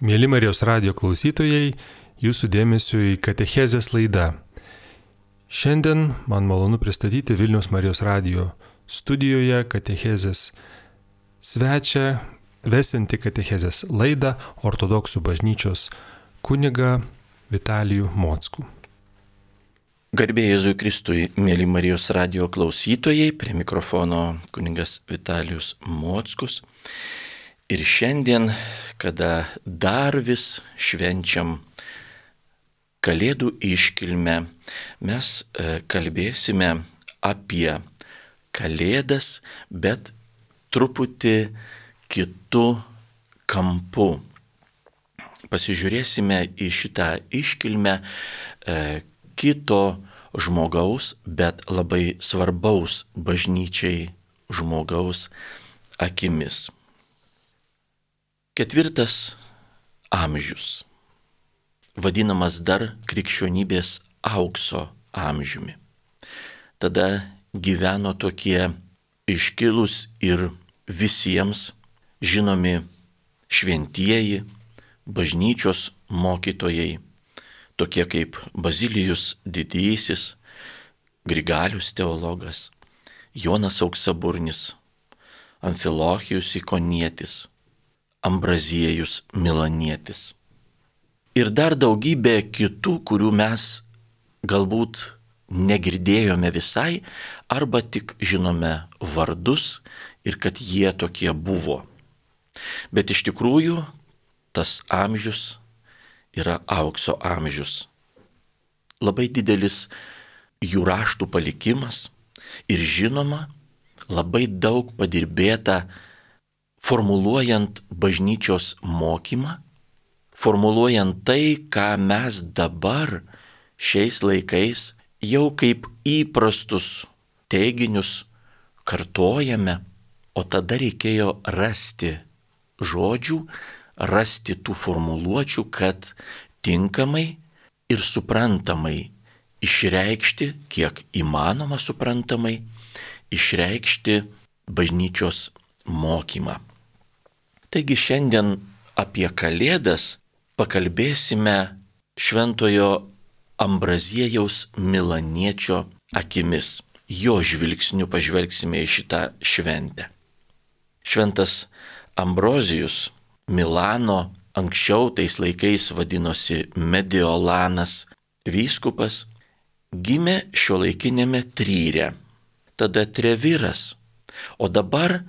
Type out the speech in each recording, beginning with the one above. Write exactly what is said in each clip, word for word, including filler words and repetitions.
Mėly Marijos radijo klausytojai, jūsų dėmesio į katechezės laidą. Šiandien man malonu pristatyti Vilniaus Marijos radijo studijoje katechezės svečią, vesianti katechezės laidą ortodoksų bažnyčios kunigą Vitalijų Mockų. Garbė Jėzui Kristui, mėly Marijos radijo klausytojai, prie mikrofono kunigas Vitalijus Mockus. Ir šiandien, kada dar vis švenčiam Kalėdų iškilmę, mes kalbėsime apie Kalėdas, bet truputį kitu kampu. Pasižiūrėsime į šitą iškilmę kito žmogaus, bet labai svarbaus bažnyčiai žmogaus akimis. Ketvirtas amžius, vadinamas dar krikščionybės aukso amžiumi. Tada gyveno tokie iškilūs ir visiems žinomi šventieji, bažnyčios mokytojai, tokie kaip Bazilijus Didysis, Grigalius teologas, Jonas Auksaburnis, Amfilohijus Ikonietis, Ambraziejus Milanietis. Ir dar daugybė kitų, kurių mes galbūt negirdėjome visai, arba tik žinome vardus ir kad jie tokie buvo. Bet iš tikrųjų tas amžius yra aukso amžius. Labai didelis jų raštų palikimas ir žinoma, labai daug padirbėta formuluojant bažnyčios mokymą, formuluojant tai, ką mes dabar šiais laikais jau kaip įprastus teiginius kartojame, o tada reikėjo rasti žodžių, rasti tų formuluočių, kad tinkamai ir suprantamai išreikšti, kiek įmanoma suprantamai, išreikšti bažnyčios mokymą. Taigi šiandien apie Kalėdas pakalbėsime šventojo Ambraziejaus Milaniečio akimis. Jo žvilgsniu pažvelgsime į šitą šventę. Šventas Ambrozijus Milano, anksčiau tais laikais vadinosi Mediolanas vyskupas, gimė šiuolaikinėme Tryre, tada Treviras, o dabar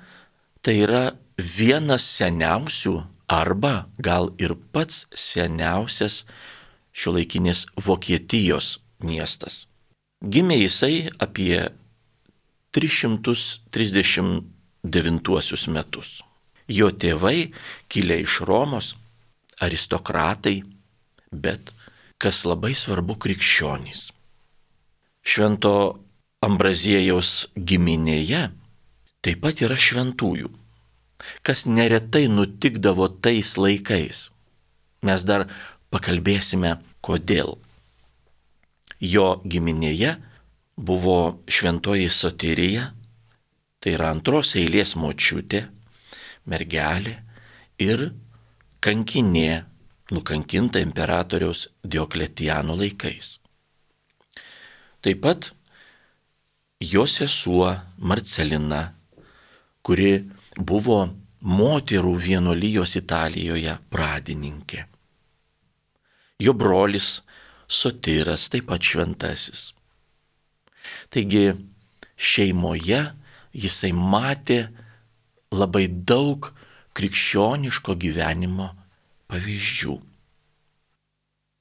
tai yra vienas seniausių arba gal ir pats seniausias šiuolaikinės Vokietijos miestas. Gimė jisai apie tris šimtus trisdešimt devintuosius metus. Jo tėvai kilę iš Romos, aristokratai, bet kas labai svarbu, krikščionys. Švento Ambraziejaus giminėje taip pat yra šventųjų, kas neretai nutikdavo tais laikais. Mes dar pakalbėsime, kodėl. Jo giminėje buvo šventoji Soterija, tai yra antros eilės močiutė, mergelė ir kankinė, nukankinta imperatoriaus Diokletiano laikais. Taip pat jo sesuo Marcelina, kuri buvo moterų vienuolijos Italijoje pradininkė. Jo brolis Sotiras, taip pat šventasis. Taigi šeimoje jisai matė labai daug krikščioniško gyvenimo pavyzdžių.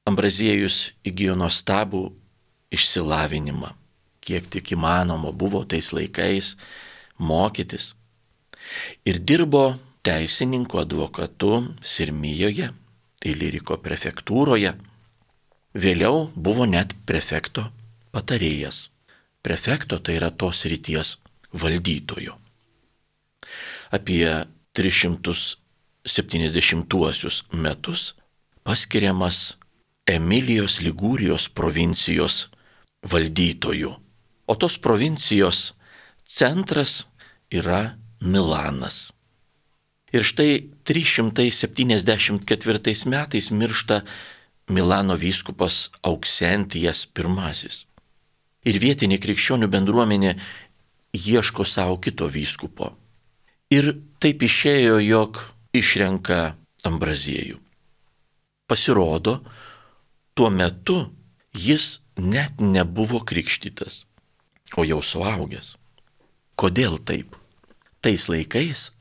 Ambraziejus įgijo nuostabų išsilavinimą, kiek tik įmanoma buvo tais laikais mokytis. Ir dirbo teisininku advokatu Sirmijoje, Iliriko prefektūroje. Vėliau buvo net prefekto patarėjas. Prefekto tai yra tos srities valdytojo. Apie tris šimtus septyniasdešimtuosius metus paskiriamas Emilijos Ligūrijos provincijos valdytoju. O tos provincijos centras yra Milanas. Ir štai trys šimtai septyniasdešimt ketvirtais metais miršta Milano vyskupas Auksentijas pirmasis. Ir vietinė krikščionių bendruomenė ieško savo kito vyskupo. Ir taip išėjo, jog išrenka Ambraziejų. Pasirodo, tuo metu jis net nebuvo krikštytas, o jau suaugęs. Kodėl taip? Tais laikais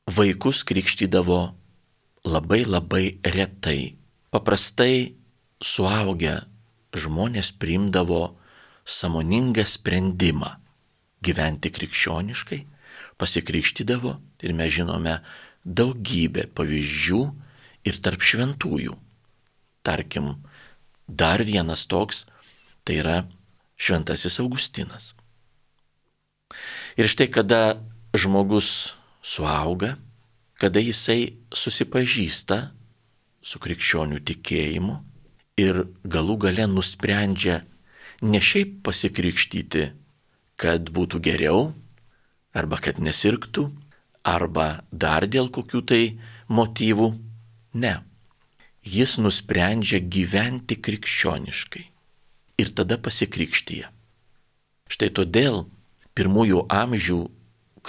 vaikus krikštydavo labai labai retai. Paprastai suaugę žmonės priimdavo sąmoningą sprendimą gyventi krikščioniškai, pasikrikštydavo ir mes žinome daugybę pavyzdžių ir tarp šventųjų. Tarkim, dar vienas toks, tai yra šventasis Augustinas. Ir štai kada žmogus suauga, kada jisai susipažįsta su krikščionių tikėjimu ir galų gale nusprendžia ne šiaip pasikrikštyti, kad būtų geriau, arba kad nesirgtų, arba dar dėl kokių tai motyvų. Ne. Jis nusprendžia gyventi krikščioniškai ir tada pasikrikštyja. Štai todėl pirmųjų amžių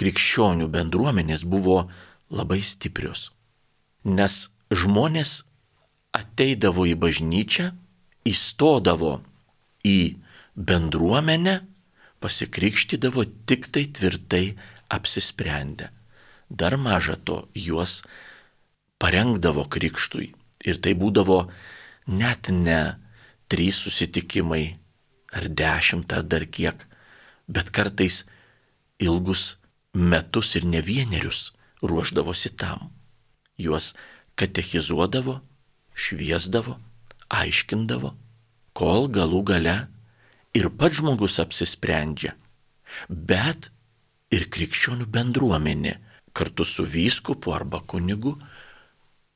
krikščionių bendruomenės buvo labai stiprios, nes žmonės ateidavo į bažnyčią, įstodavo į bendruomenę, pasikrikštydavo tik tai tvirtai apsisprendę. Dar maža to, juos parengdavo krikštui. Ir tai būdavo net ne trys susitikimai ar dešimt ar dar kiek, bet kartais ilgus metus ir ne vienerius ruošdavosi tam. Juos katechizuodavo, šviesdavo, aiškindavo, kol galų gale ir pats žmogus apsisprendžia, bet ir krikščionių bendruomenė kartu su vyskupu arba kunigu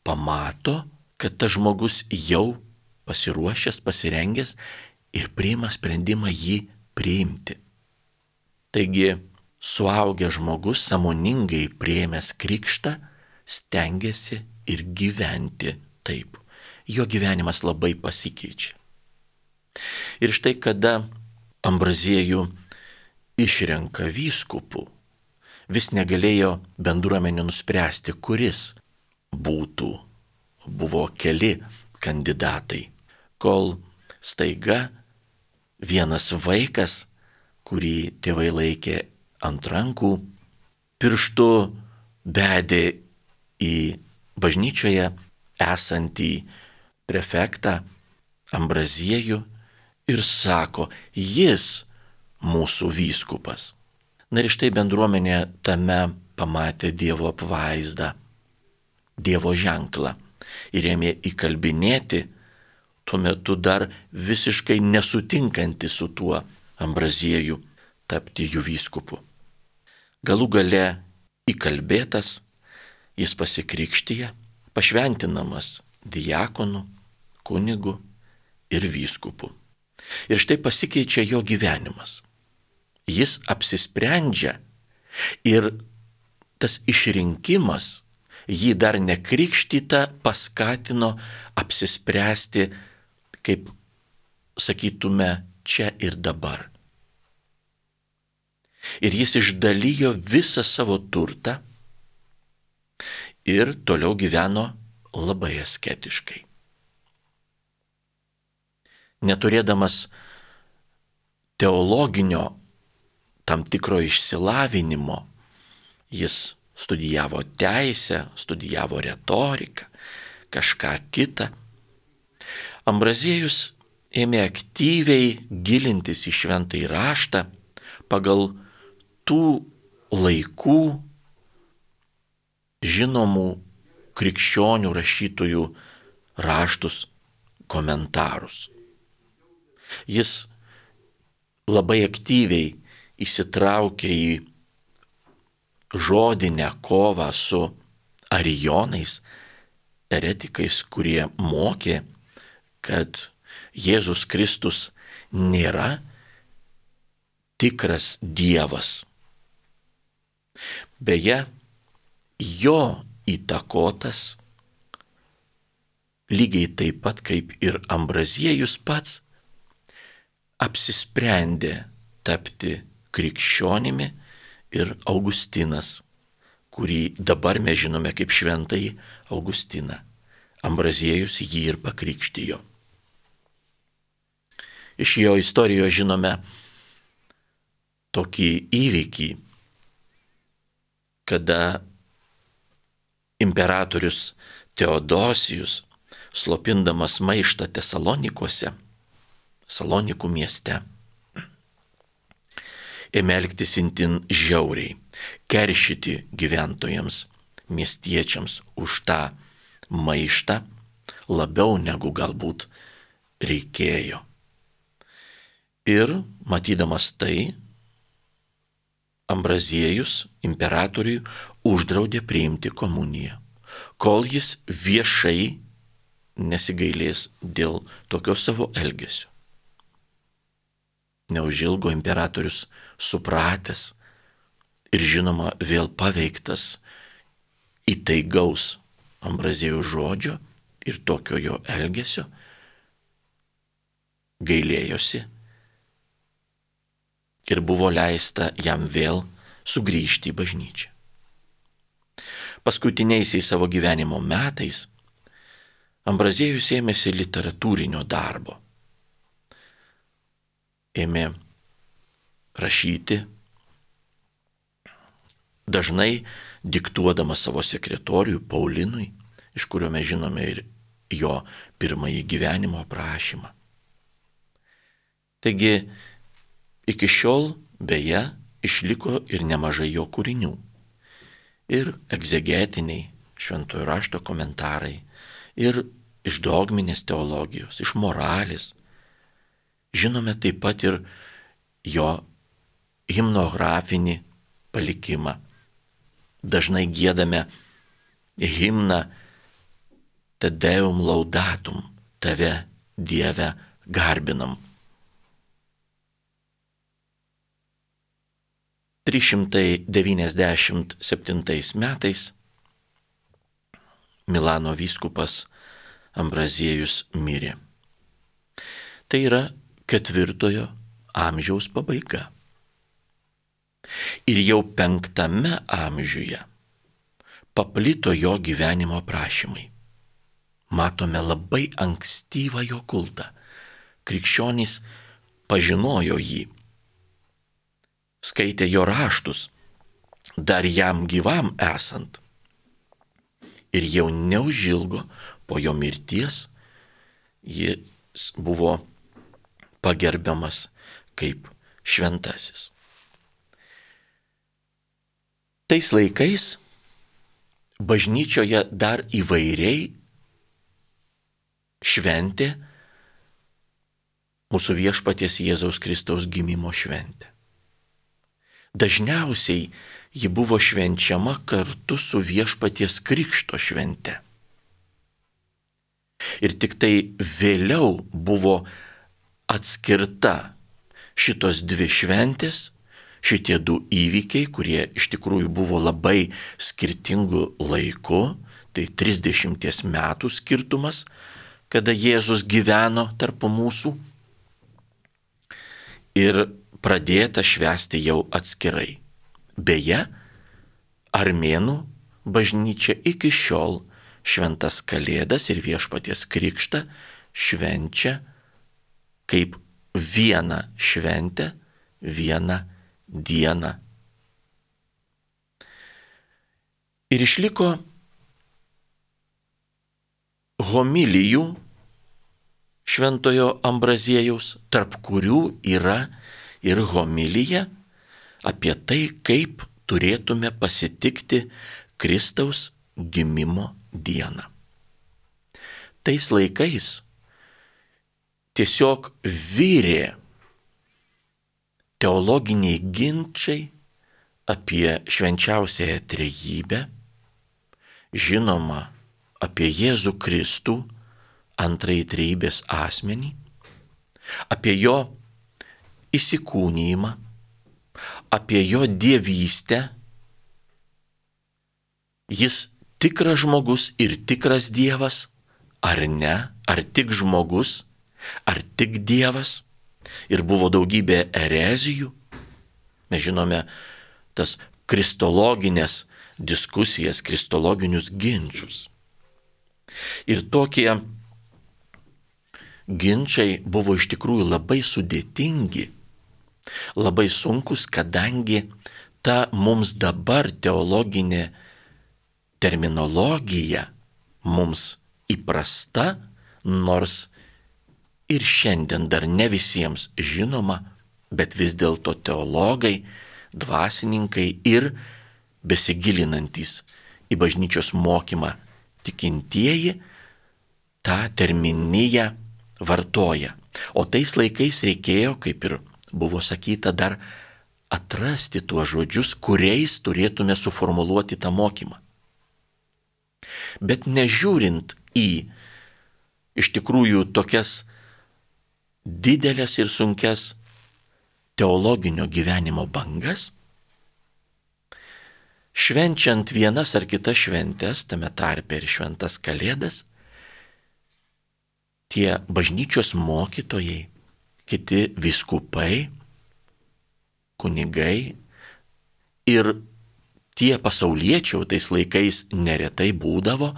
pamato, kad tas žmogus jau pasiruošęs, pasirengęs ir priima sprendimą jį priimti. Taigi, suaugęs žmogus sąmoningai priėmęs krikštą stengiasi ir gyventi taip. Jo gyvenimas labai pasikeičia. Ir štai kada Ambraziejų išrenka vyskupu, vis negalėjo bendruomenė nuspręsti, kuris būtų. Buvo keli kandidatai, kol staiga vienas vaikas, kurį tėvai laikė ant rankų, pirštu bedė į bažnyčioje esantį prefektą Ambraziejų ir sako, jis mūsų vyskupas. Na ir štai bendruomenė tame pamatė Dievo apvaizdą, Dievo ženklą ir ėmė įkalbinėti, tuo metu dar visiškai nesutinkantį su tuo Ambraziejų tapti jų vyskupu. Galų gale įkalbėtas, jis pasikrikštyja, pašventinamas diakonu, kunigu ir vyskupu. Ir štai pasikeičia jo gyvenimas. Jis apsisprendžia ir tas išrinkimas jį dar nekrikštytą paskatino apsispręsti, kaip sakytume, čia ir dabar. Ir jis išdalijo visą savo turtą ir toliau gyveno labai asketiškai. Neturėdamas teologinio tam tikro išsilavinimo, jis studijavo teisę, studijavo retoriką, kažką kitą. Ambraziejus ėmė aktyviai gilintis į šventąjį raštą pagal tų laikų žinomų krikščionių rašytojų raštus, komentarus. Jis labai aktyviai įsitraukė į žodinę kovą su arijonais, eretikais, kurie mokė, kad Jėzus Kristus nėra tikras Dievas. Beje, jo įtakotas, lygiai taip pat kaip ir Ambraziejus pats, apsisprendė tapti krikščionimi ir Augustinas, kurį dabar mes žinome kaip šventąjį Augustiną. Ambraziejus jį ir pakrikštijo. Iš jo istorijos žinome tokį įvykį, kada imperatorius Teodosijus, slopindamas maištą Tesalonikuose, Salonikų mieste, ėmė elgtis itin žiauriai, keršyti gyventojams, miestiečiams už tą maištą labiau negu galbūt reikėjo. Ir matydamas tai, Ambraziejus imperatoriui uždraudė priimti komuniją, kol jis viešai nesigailės dėl tokio savo elgesio. Neužilgo imperatorius supratęs ir žinoma vėl paveiktas įtaigaus Ambraziejaus žodžio ir tokio jo elgesio, gailėjosi ir buvo leista jam vėl sugrįžti į bažnyčią. Paskutiniaisiais savo gyvenimo metais Ambraziejus ėmėsi literatūrinio darbo. Ėmė rašyti, dažnai diktuodamas savo sekretoriui Paulinui, iš kurio mes žinome ir jo pirmąjį gyvenimo aprašymą. Taigi, iki šiol beje išliko ir nemažai jo kūrinių. Ir egzegetiniai šventojo rašto komentarai, ir iš dogminės teologijos, iš moralės. Žinome taip pat ir jo himnografinį palikimą. Dažnai giedame himną Te Deum laudatum, tave, Dieve, garbinam. trys šimtai devyniasdešimt septintais metais Milano vyskupas Ambraziejus mirė. Tai yra ketvirtojo amžiaus pabaiga. Ir jau penktame amžiuje paplito jo gyvenimo aprašymai. Matome labai ankstyvą jo kultą. Krikščionys pažinojo jį, skaitė jo raštus, dar jam gyvam esant. Ir jau neužilgo po jo mirties jis buvo pagerbiamas kaip šventasis. Tais laikais bažnyčioje dar įvairiai šventė mūsų viešpaties Jėzaus Kristaus gimimo šventę. Dažniausiai ji buvo švenčiama kartu su viešpaties krikšto švente. Ir tik tai vėliau buvo atskirta šitos dvi šventės, šitie du įvykiai, kurie iš tikrųjų buvo labai skirtingų laikų, tai trisdešimties metų skirtumas, kada Jėzus gyveno tarp mūsų, ir pradėta švęsti jau atskirai. Beje, armėnų bažnyčia iki šiol šventas Kalėdas ir viešpaties krikštą švenčia kaip vieną šventę, vieną dieną. Ir išliko homilijų šventojo Ambraziejaus, tarp kurių yra ir homilija apie tai, kaip turėtume pasitikti Kristaus gimimo dieną. Tais laikais tiesiog virė teologiniai ginčiai apie švenčiausiąją trejybę, žinoma, apie Jėzų Kristų, antrąjį trejybės asmenį, apie jo įsikūnijimą, apie jo dievystę. Jis tikras žmogus ir tikras Dievas, ar ne, ar tik žmogus, ar tik Dievas. Ir buvo daugybė erezijų. Mes žinome tas kristologinės diskusijas, kristologinius ginčius. Ir tokie ginčiai buvo iš tikrųjų labai sudėtingi, labai sunkus, kadangi ta mums dabar teologinė terminologija mums įprasta, nors ir šiandien dar ne visiems žinoma, bet vis dėlto teologai, dvasininkai ir besigilinantys į bažnyčios mokymą tikintieji tą terminiją vartoja. O tais laikais reikėjo, kaip ir buvo sakyta, dar atrasti tuos žodžius, kuriais turėtume suformuluoti tą mokymą. Bet nežiūrint į iš tikrųjų tokias didelės ir sunkias teologinio gyvenimo bangas, švenčiant vienas ar kitas šventės, tame tarpe ir šventas Kalėdas, tie bažnyčios mokytojai, kiti vyskupai, kunigai ir tie pasauliečiai, tais laikais neretai būdavo,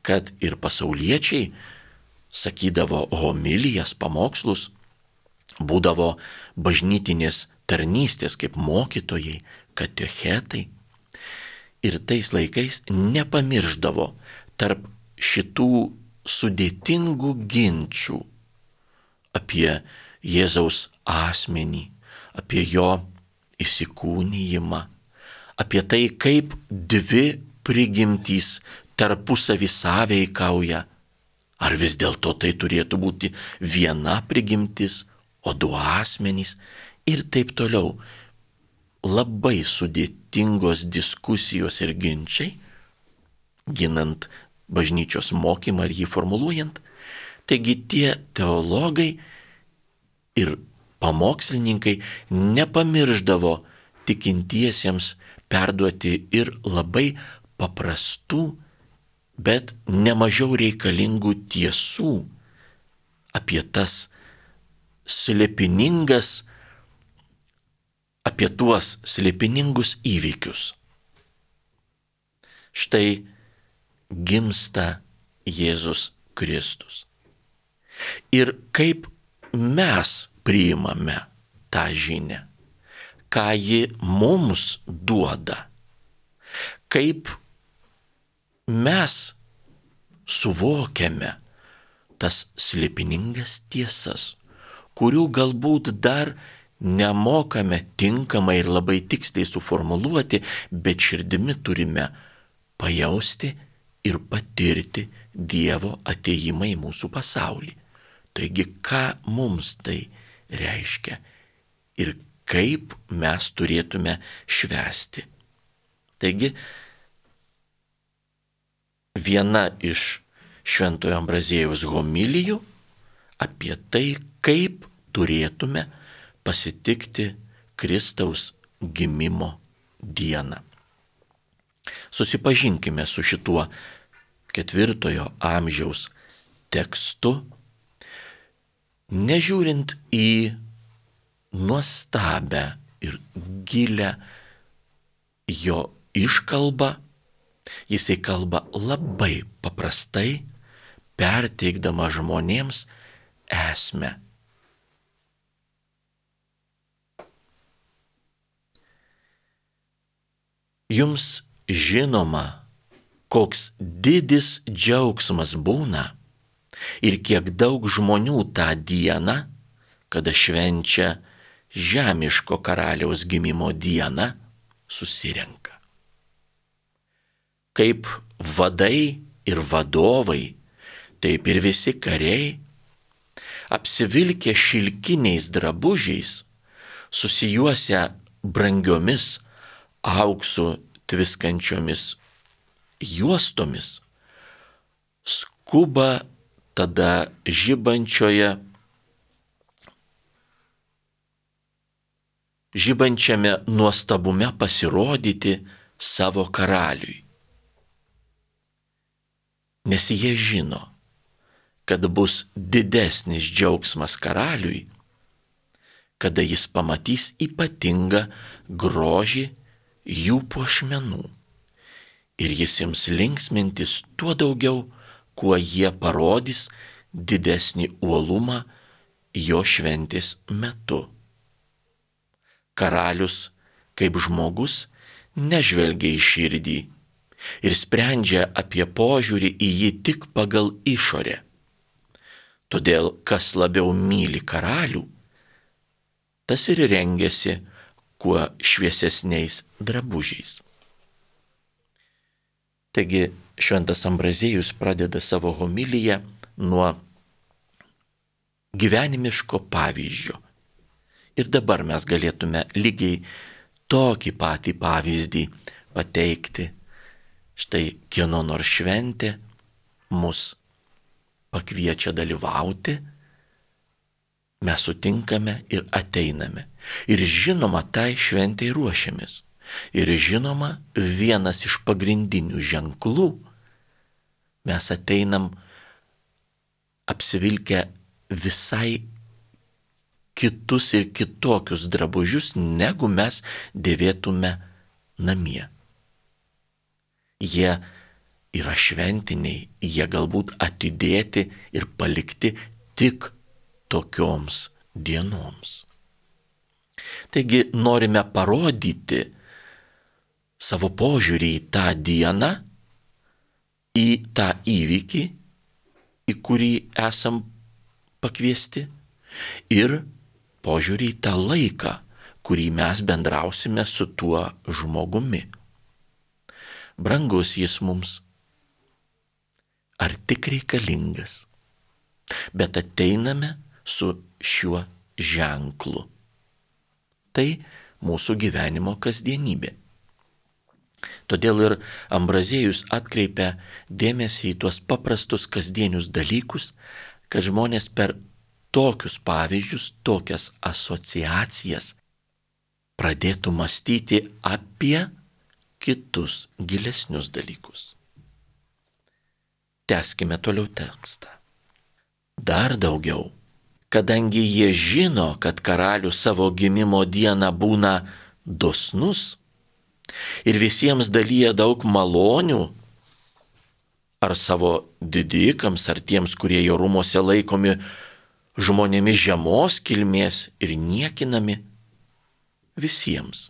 kad ir pasauliečiai sakydavo homilijas, pamokslus, būdavo bažnytinės tarnystės kaip mokytojai, katechetai. Ir tais laikais nepamirždavo tarp šitų sudėtingų ginčių apie Jėzaus asmenį, apie jo įsikūnijimą, apie tai, kaip dvi prigimtys tarpusavį sąveikauja. Ar vis dėlto tai turėtų būti viena prigimtis, o du asmenys ir taip toliau. Labai sudėtingos diskusijos ir ginčiai, ginant bažnyčios mokymą ir jį formuluojant. Taigi tie teologai ir pamokslininkai nepamirždavo tikintiesiems perduoti ir labai paprastų, bet nemažiau reikalingų tiesų apie tas slėpiningas, apie tuos slėpiningus įvykius. Štai gimsta Jėzus Kristus. Ir kaip mes priimame tą žinią, ką ji mums duoda, kaip mes suvokiame tas slėpiningas tiesas, kurių galbūt dar nemokame tinkamai ir labai tiksliai suformuluoti, bet širdimi turime pajausti ir patirti Dievo atėjimą į mūsų pasaulį. Taigi, ką mums tai reiškia ir kaip mes turėtume švęsti. Taigi, viena iš Šventojo Ambraziejaus homilijų apie tai, kaip turėtume pasitikti Kristaus gimimo dieną. Susipažinkime su šituo ketvirtojo amžiaus tekstu, nežiūrint į nuostabę ir gilę jo iškalbą, jisai kalba labai paprastai, perteikdama žmonėms esmę. Jums žinoma, koks didis džiaugsmas būna ir kiek daug žmonių tą dieną, kada švenčia žemiško karaliaus gimimo dieną, susirenka. Kaip vadai ir vadovai, taip ir visi kariai, apsivilkę šilkiniais drabužiais, susijuosę brangiomis auksu tviskančiomis juostomis, skuba tada žibančioje, žibančiame nuostabume pasirodyti savo karaliui. nes jie žino, kad bus didesnis džiaugsmas karaliui, kada jis pamatys ypatingą grožį jų puošmenų. Ir jis ims linksmintis tuo daugiau, kuo jie parodys didesnį uolumą jo šventės metu. Karalius, kaip žmogus, nežvelgia į širdį ir sprendžia apie požiūrį į jį tik pagal išorę. Todėl, kas labiau myli karalių, tas ir rengiasi kuo šviesesniais drabužiais. Taigi, šventas Ambraziejus pradeda savo homiliją nuo gyvenimiško pavyzdžio. Ir dabar mes galėtume lygiai tokį patį pavyzdį pateikti. Štai kieno nors šventė mus pakviečia dalyvauti, mes sutinkame ir ateiname. Ir žinoma, tai šventei ruošiamės. Ir žinoma, vienas iš pagrindinių ženklų, mes ateinam apsivilkę visai kitus ir kitokius drabužius, negu mes dėvėtume namie. Jie yra šventiniai, jie galbūt atidėti ir palikti tik tokioms dienoms. Taigi norime parodyti savo požiūrį į tą dieną, į tą įvykį, į kurį esam pakviesti, ir požiūrį į tą laiką, kurį mes bendrausime su tuo žmogumi. Brangus jis mums, ar tik reikalingas, bet ateiname su šiuo ženklu. Tai mūsų gyvenimo kasdienybė. Todėl ir Ambraziejus atkreipia dėmesį į tuos paprastus kasdienius dalykus, kad žmonės per tokius pavyzdžius, tokias asociacijas pradėtų mąstyti apie kitus gilesnius dalykus. Tęskime toliau tekstą. Dar daugiau, kadangi jie žino, kad karalius savo gimimo dieną būna dosnus ir visiems dalyja daug malonių, ar savo didikams, ar tiems, kurie jo rūmose laikomi žmonėmis žemos kilmės ir niekinami, visiems.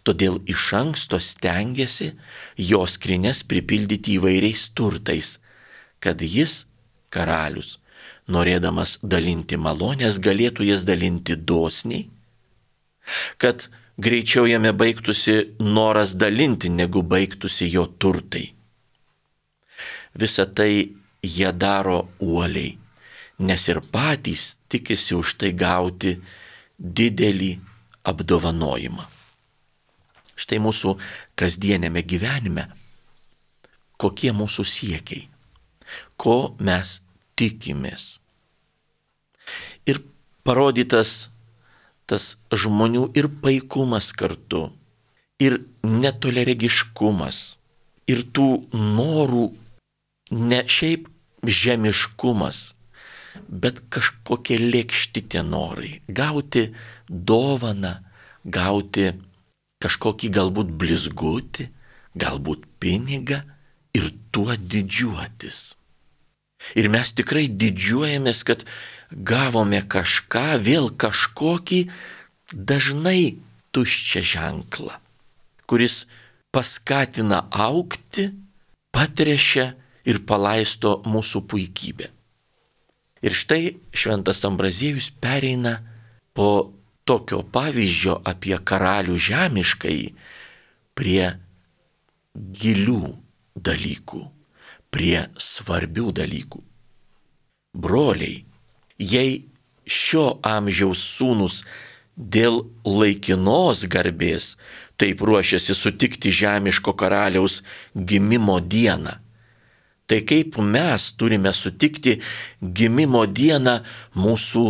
Todėl iš anksto stengiasi jo skrynias pripildyti įvairiais turtais, kad jis, karalius, norėdamas dalinti malonės, galėtų jas dalinti dosniai, kad greičiau jame baigtųsi noras dalinti, negu baigtųsi jo turtai. Visą tai jie daro uoliai, nes ir patys tikisi už tai gauti didelį apdovanojimą. Štai mūsų kasdienėme gyvenime, kokie mūsų siekiai, ko mes tikimės. Ir parodytas tas žmonių ir paikumas kartu, ir netoliaregiškumas, ir tų norų ne šiaip žemiškumas, bet kažkokie lėkšti tie norai. Gauti dovaną, gauti kažkokį galbūt blizgutį, galbūt pinigą ir tuo didžiuotis. Ir mes tikrai didžiuojamės, kad gavome kažką, vėl kažkokį dažnai tuščią ženklą, kuris paskatina augti, patrešia ir palaisto mūsų puikybę. Ir štai šventas Ambraziejus pereina po tokio pavyzdžio apie karalių žemiškai prie gilių dalykų, prie svarbių dalykų. Broliai, jei šio amžiaus sūnus dėl laikinos garbės taip ruošiasi sutikti žemiško karaliaus gimimo dieną, tai kaip mes turime sutikti gimimo dieną mūsų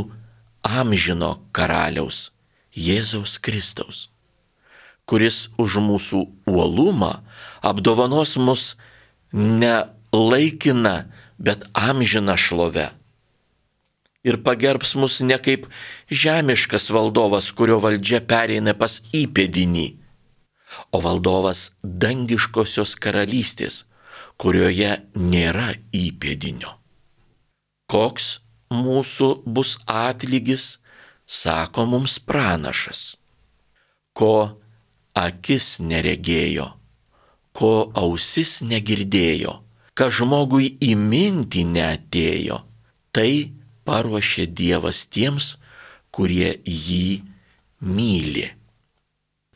amžino karaliaus, Jėzaus Kristaus, kuris už mūsų uolumą apdovanos mus ne laikina, bet amžina šlove. Ir pagerbs mus ne kaip žemiškas valdovas, kurio valdžia pereina pas įpėdinį, o valdovas dangiškosios karalystės, kurioje nėra įpėdinio. Koks mūsų bus atlygis, sako mums pranašas, ko akis neregėjo, ko ausis negirdėjo, ką žmogui į mintį neatėjo, tai paruošė Dievas tiems, kurie jį myli.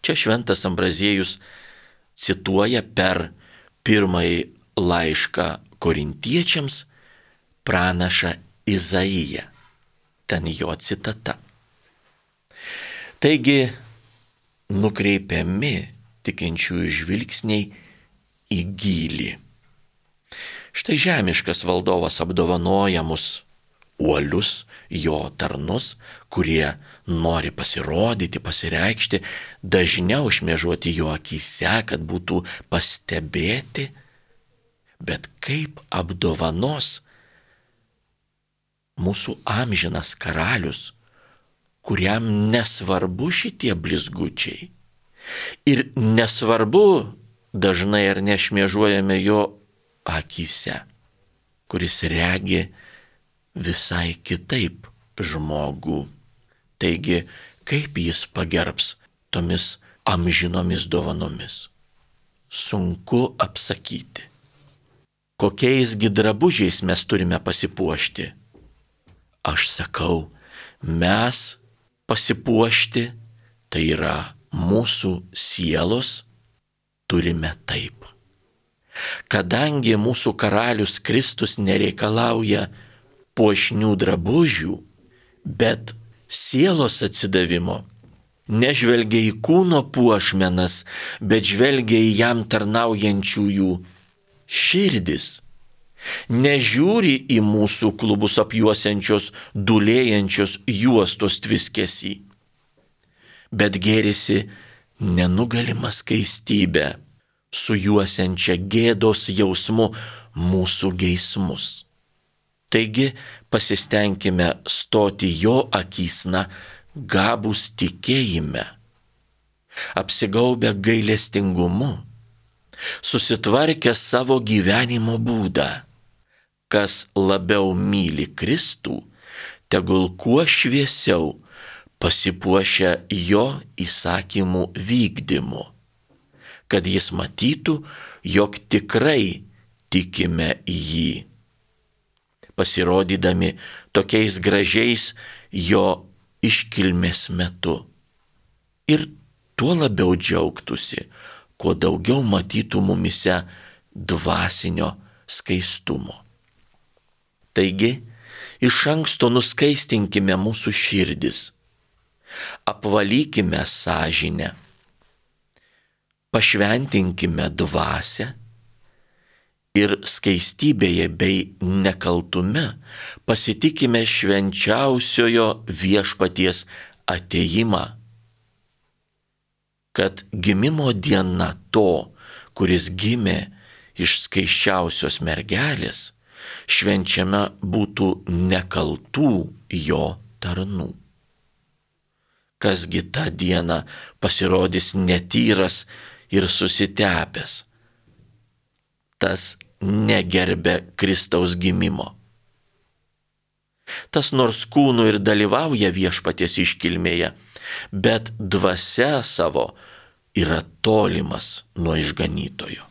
Čia šventas Ambraziejus cituoja per pirmąjį laišką korintiečiams pranašą Izaiją. Ten jo citata. Taigi, nukreipiami tikinčiųjų žvilgsniai į gylį. Štai žemiškas valdovas apdovanoja mus, uolius jo tarnus, kurie nori pasirodyti, pasireikšti, dažniau šmėžuoti jo akyse, kad būtų pastebėti, bet kaip apdovanos mūsų amžinas karalius, kuriam nesvarbu šitie blizgučiai. Ir nesvarbu dažnai ar nešmėžuojame jo akyse, kuris regi visai kitaip žmogų. Taigi, kaip jis pagerbs tomis amžinomis dovanomis? Sunku apsakyti. Kokiaisgi drabužiais mes turime pasipuošti? Aš sakau, mes pasipuošti, tai yra mūsų sielos, turime taip. Kadangi mūsų karalius Kristus nereikalauja puošnių drabužių, bet sielos atsidavimo, nežvelgia į kūno puošmenas, bet žvelgia į jam tarnaujančiųjų širdis, nežiūri į mūsų klubus apjuosiančios, dūlėjančios juostos tviskesį, bet gėrisi nenugalima skaistybė, sujuosiančia gėdos jausmu mūsų geismus. Taigi pasistengime stoti jo akysna gabūs tikėjime, apsigaubę gailestingumu, susitvarkę savo gyvenimo būdą. Kas labiau myli Kristų, tegul kuo šviesiau pasipuošia jo įsakymų vykdymu, kad jis matytų, jog tikrai tikime jį, pasirodydami tokiais gražiais jo iškilmės metu. Ir tuo labiau džiaugtųsi, kuo daugiau matytų mumise dvasinio skaistumo. Taigi, iš anksto nuskaistinkime mūsų širdis, apvalykime sąžinę, pašventinkime dvasią ir skaistybėje bei nekaltume pasitikime švenčiausiojo viešpaties atėjimą, kad gimimo diena to, kuris gimė iš skaisčiausios mergelės, švenčiame būtų nekaltų jo tarnų. Kasgi tą dieną pasirodys netyras ir susitepęs, tas negerbė Kristaus gimimo. Tas nors kūnu ir dalyvauja viešpaties iškilmėje, bet dvasia savo yra tolimas nuo išganytojo.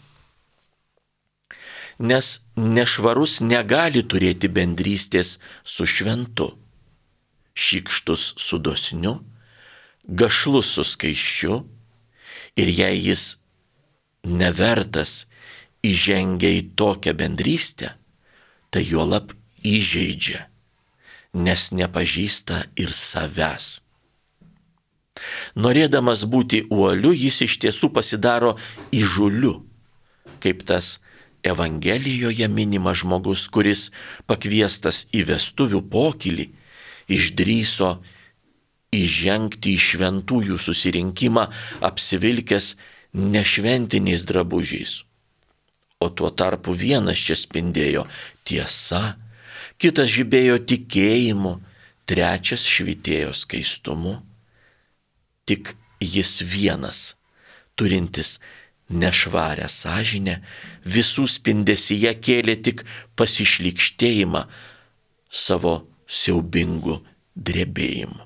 Nes nešvarus negali turėti bendrystės su šventu, šykštus su dosniu, gašlus su skaisčiu, ir jei jis nevertas įžengia į tokią bendrystę, tai juolab įžeidžia, nes nepažįsta ir savęs. Norėdamas būti uoliu, jis iš tiesų pasidaro įžūliu, kaip tas Evangelijoje minimas žmogus, kuris pakviestas į vestuvių pokylį, išdrįso įžengti į šventųjų susirinkimą apsivilkęs nešventiniais drabužiais, O tuo tarpu vienas čia spindėjo tiesa, kitas žibėjo tikėjimu, trečias švytėjo skaistumu. Tik jis vienas, turintis nešvarę sąžinę, visų spindesyje kėlė tik pasišlykštėjimą savo siaubingų drebėjimų.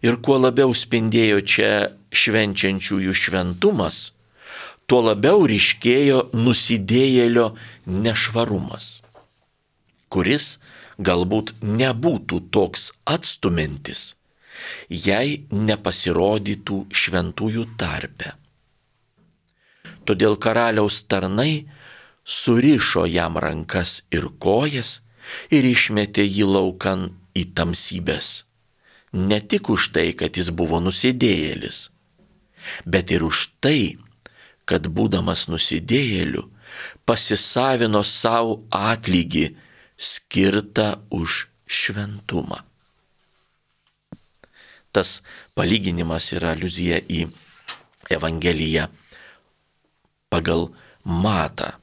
Ir kuo labiau spindėjo čia švenčiančiųjų šventumas, tuo labiau ryškėjo nusidėjėlio nešvarumas, kuris galbūt nebūtų toks atstumiantis, jei nepasirodytų šventųjų tarpe. Todėl karaliaus tarnai surišo jam rankas ir kojas ir išmetė jį laukan į tamsybes. Ne tik už tai, kad jis buvo nusidėjėlis, bet ir už tai, kad būdamas nusidėjėliu pasisavino savo atlygį skirtą už šventumą. Tas palyginimas yra aliuzija į Evangeliją pagal Matą,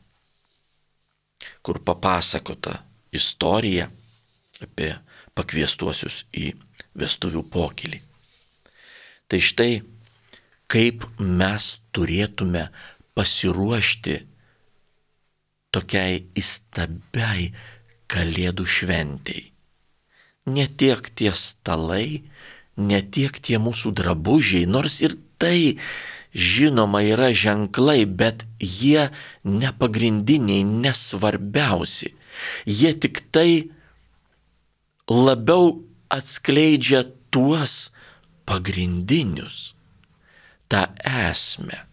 kur papasakota istorija apie pakviestuosius į vestuvių pokylį. Tai štai, kaip mes turėtume pasiruošti tokiai įstabiai Kalėdų šventei. Ne tiek tie stalai, ne tiek tie mūsų drabužiai, nors ir tai, žinoma, yra ženklai, bet jie nepagrindiniai, nesvarbiausi. Jie tik tai labiau atskleidžia tuos pagrindinius, tą esmę.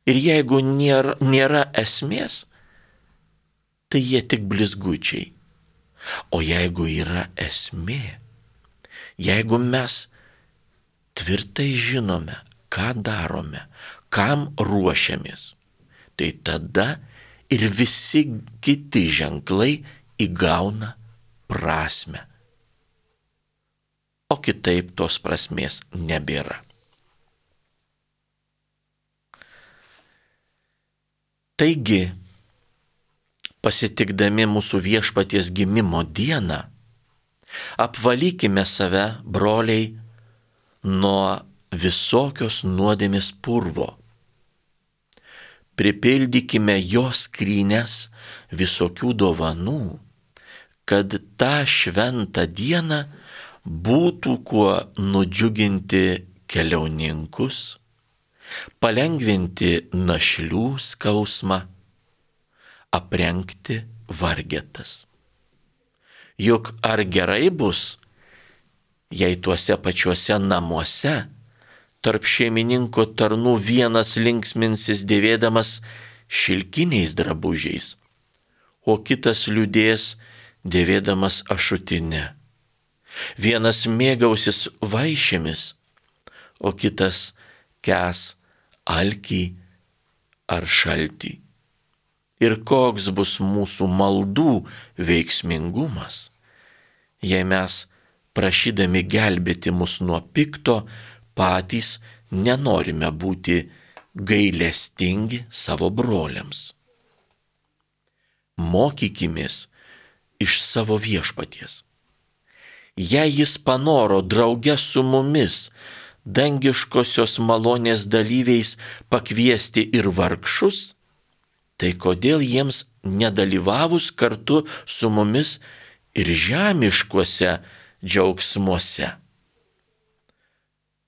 Ir jeigu nėra, nėra esmės, tai jie tik blizgučiai. O jeigu yra esmė, jeigu mes tvirtai žinome, ką darome, kam ruošiamės, tai tada ir visi kiti ženklai įgauna prasmę. O kitaip tos prasmės nebėra. Taigi, pasitikdami mūsų viešpaties gimimo dieną, apvalykime save, broliai, nuo visokios nuodėmės purvo. Pripildykime jo skrynes visokių dovanų, kad tą šventą dieną būtų kuo nudžiuginti keliauninkus, palengvinti našlių skausmą, aprengti vargetas. Juk ar gerai bus, jei tuose pačiuose namuose tarp šeimininko tarnų vienas linksminsis dėvėdamas šilkiniais drabužiais, o kitas liūdės dėvėdamas ašutinę. Vienas mėgausis vaišėmis, o kitas kes alkį ar šaltį. Ir koks bus mūsų maldų veiksmingumas, jei mes, prašydami gelbėti mus nuo pikto, patys nenorime būti gailestingi savo broliams. Mokykimės iš savo viešpaties. Jei jis panoro drauge su mumis, dangiškosios malonės dalyviais, pakviesti ir vargšus, tai kodėl jiems nedalyvavus kartu su mumis ir žemiškuose džiaugsmuose?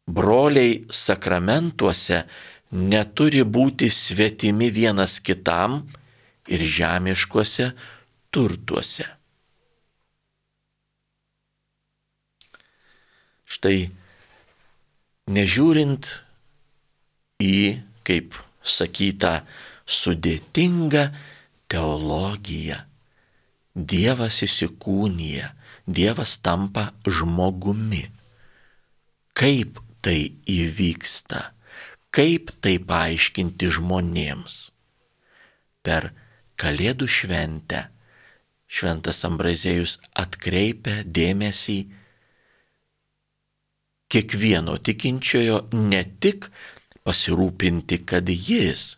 Broliai sakramentuose neturi būti svetimi vienas kitam ir žemiškuose turtuose. Štai, nežiūrint į, kaip sakyta, sudėtingą teologiją, Dievas įsikūnija, Dievas tampa žmogumi. Kaip tai įvyksta, kaip tai paaiškinti žmonėms? Per Kalėdų šventę šventas Ambrazėjus atkreipia dėmesį kiekvieno tikinčiojo ne tik pasirūpinti, kad jis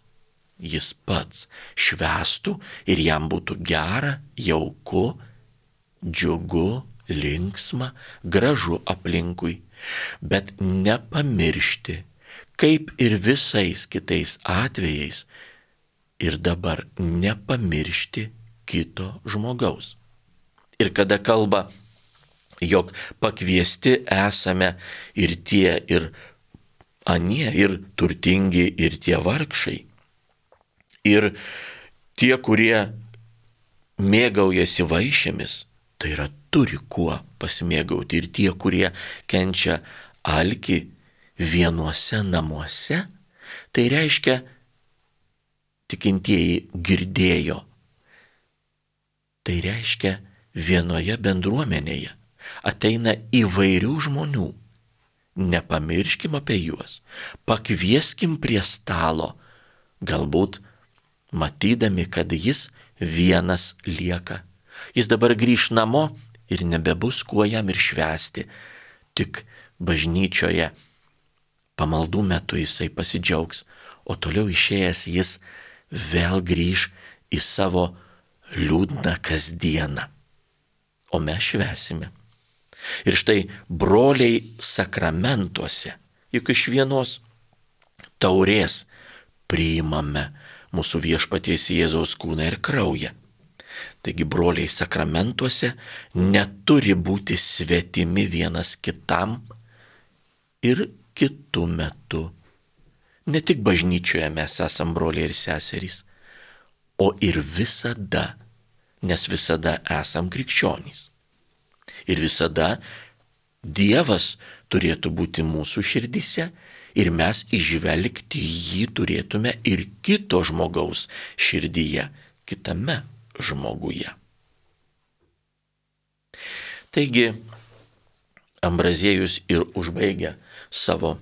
jis pats švęstų ir jam būtų gera, jauku, džiugu, linksma, gražu aplinkui, bet nepamiršti, kaip ir visais kitais atvejais, ir dabar nepamiršti kito žmogaus. Ir kada kalba, jog pakviesti esame ir tie, ir anie, ir turtingi, ir tie vargšai, ir tie, kurie mėgaujasi vaišėmis, tai yra turi kuo pasimėgauti, ir tie, kurie kenčia alkį vienuose namuose, tai reiškia, tikintieji girdėjo, tai reiškia vienoje bendruomenėje ateina įvairių žmonių, nepamirškim apie juos, pakvieskim prie stalo, galbūt matydami, kad jis vienas lieka. Jis dabar grįš namo ir nebebus kuo jam ir švęsti, tik bažnyčioje pamaldų metu jisai pasidžiaugs, o toliau išėjęs jis vėl grįž į savo liūdną kasdieną. O mes švęsime. Ir štai broliai sakramentuose, juk iš vienos taurės priimame mūsų viešpaties Jėzaus kūną ir kraują. Taigi broliai sakramentuose neturi būti svetimi vienas kitam ir kitu metu. Ne tik bažnyčioje mes esam broliai ir seserys, o ir visada, nes visada esam krikščionys. Ir visada Dievas turėtų būti mūsų širdise ir mes įžvelgti jį turėtume ir kito žmogaus širdyje, kitame žmoguje. Taigi, Ambraziejus ir užbaigia savo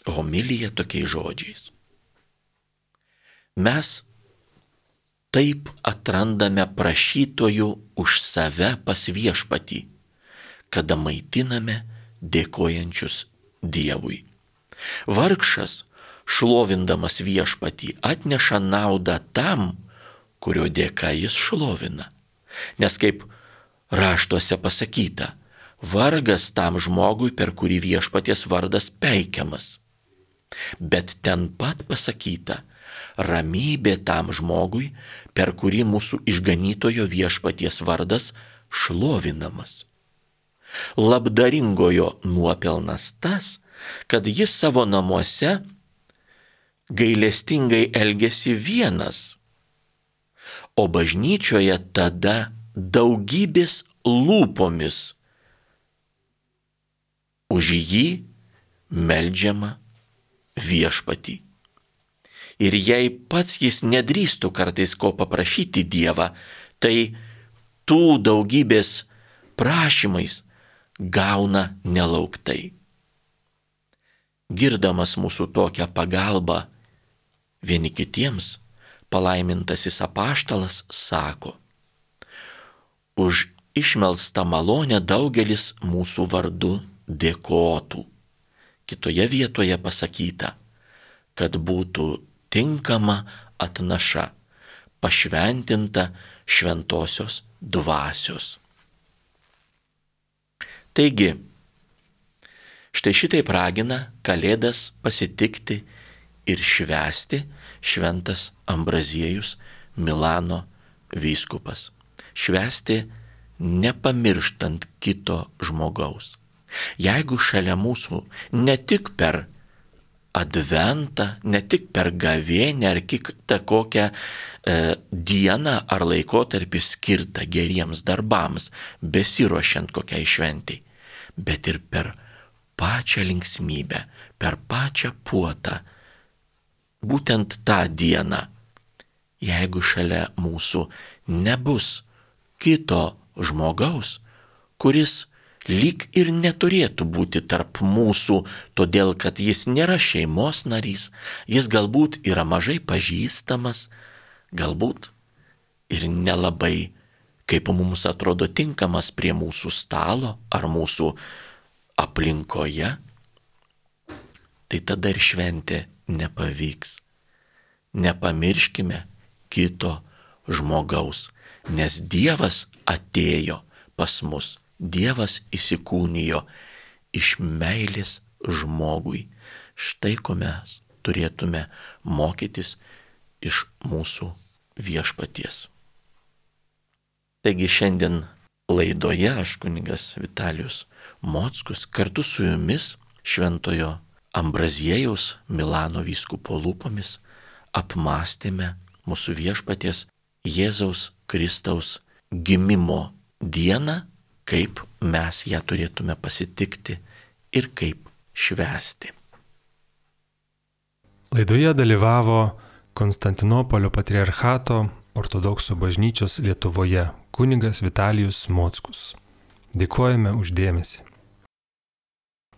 homiliją tokiais žodžiais. Mes taip atrandame prašytojų už save pas viešpatį, kada maitiname dėkojančius Dievui. Vargšas, šlovindamas viešpatį, atneša naudą tam, kurio dėka jis šlovina. Nes kaip raštuose pasakyta, vargas tam žmogui, per kurį viešpaties vardas peikiamas. Bet ten pat pasakyta, ramybė tam žmogui, per kurį mūsų išganytojo viešpaties vardas šlovinamas. Labdaringojo nuopelnas tas, kad jis savo namuose gailestingai elgėsi vienas, o bažnyčioje tada daugybės lūpomis už jį meldžiama viešpatį. Ir jei pats jis nedrįstų kartais ko paprašyti Dievą, tai tų daugybės prašymais gauna nelauktai. Girdamas mūsų tokią pagalbą vieni kitiems, palaimintasis apaštalas sako, už išmelstą malonę daugelis mūsų vardu dėkotų. Kitoje vietoje pasakyta, kad būtų tinkama atnaša, pašventinta šventosios dvasios. Taigi, štai šitaip ragina Kalėdas pasitikti ir švęsti šventas Ambraziejus, Milano vyskupas. Švęsti nepamirštant kito žmogaus. Jeigu šalia mūsų ne tik per adventą, ne tik per gavėnią ar kitą kokią e, dieną ar laikotarpį skirtą geriems darbams, besiruošiant kokiai šventei, bet ir per pačią linksmybę, per pačią puotą, būtent tą dieną, jeigu šalia mūsų nebus kito žmogaus, kuris lyg ir neturėtų būti tarp mūsų, todėl kad jis nėra šeimos narys, jis galbūt yra mažai pažįstamas, galbūt ir nelabai, kaip mums atrodo, tinkamas prie mūsų stalo ar mūsų aplinkoje, tai tada ir šventė nepavyks. nepamirškime kito žmogaus, nes Dievas atėjo pas mus, Dievas įsikūnijo iš meilės žmogui. Štai ko mes turėtume mokytis iš mūsų viešpaties. Taigi šiandien laidoje aš kunigas Vitalijus Mockus kartu su jumis šventojo Ambraziejaus Milano vyskupo lūpomis apmąstėme mūsų viešpaties Jėzaus Kristaus gimimo dieną, kaip mes ją turėtume pasitikti ir kaip švęsti. Laidoje dalyvavo Konstantinopolio patriarchato ortodoksų bažnyčios Lietuvoje kunigas Vitalijus Mockus. Dėkojame už dėmesį.